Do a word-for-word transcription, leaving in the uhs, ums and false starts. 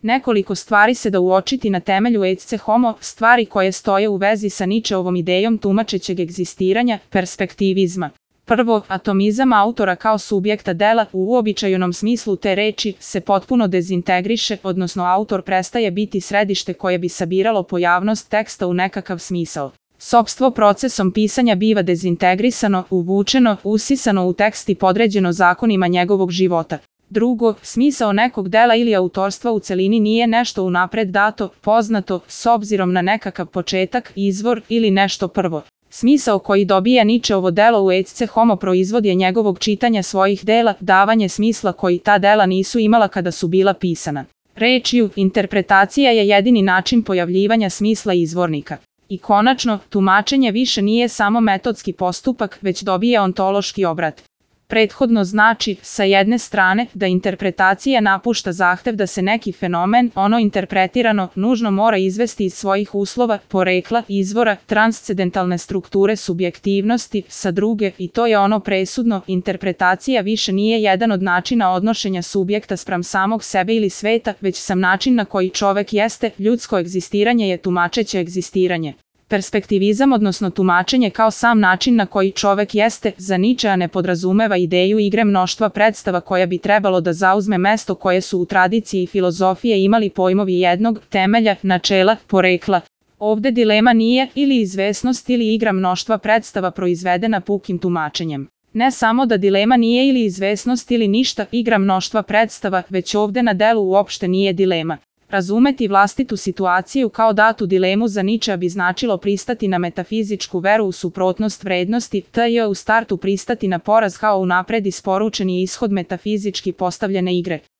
Nekoliko stvari se da uočiti na temelju ecce homo, stvari koje stoje u vezi sa Ničeovom idejom tumačećeg egzistiranja, perspektivizma. Prvo, atomizam autora kao subjekta dela, u uobičajenom smislu te reči, se potpuno dezintegriše, odnosno autor prestaje biti središte koje bi sabiralo pojavnost teksta u nekakav smisao. Sopstvo procesom pisanja biva dezintegrisano, uvučeno, usisano u tekst i podređeno zakonima njegovog života. Drugo, smisao nekog dela ili autorstva u celini nije nešto unapred dato, poznato, s obzirom na nekakav početak, izvor ili nešto prvo. Smisao koji dobija Ničeovo delo u ecce homo proizvod je njegovog čitanja svojih dela, davanje smisla koji ta dela nisu imala kada su bila pisana. Rečju, interpretacija je jedini način pojavljivanja smisla izvornika. I konačno, tumačenje više nije samo metodski postupak, već dobija ontološki obrat. Prethodno znači, sa jedne strane, da interpretacija napušta zahtev da se neki fenomen, ono interpretirano, nužno mora izvesti iz svojih uslova, porekla, izvora, transcendentalne strukture subjektivnosti, sa druge, i to je ono presudno, interpretacija više nije jedan od načina odnošenja subjekta spram samog sebe ili sveta, već sam način na koji čovek jeste, ljudsko egzistiranje je tumačeće egzistiranje. Perspektivizam, odnosno tumačenje kao sam način na koji čovek jeste, za Ničea ne podrazumeva ideju igre mnoštva predstava koja bi trebalo da zauzme mesto koje su u tradiciji filozofije imali pojmovi jednog, temelja, načela, porekla. Ovde dilema nije ili izvesnost ili igra mnoštva predstava proizvedena pukim tumačenjem. Ne samo da dilema nije ili izvesnost ili ništa, igra mnoštva predstava, već ovde na delu uopšte nije dilema. Razumeti vlastitu situaciju kao datu dilemu za Ničea bi značilo pristati na metafizičku veru u suprotnost vrednosti, tj. u startu pristati na poraz kao unapred isporučeni ishod metafizički postavljene igre.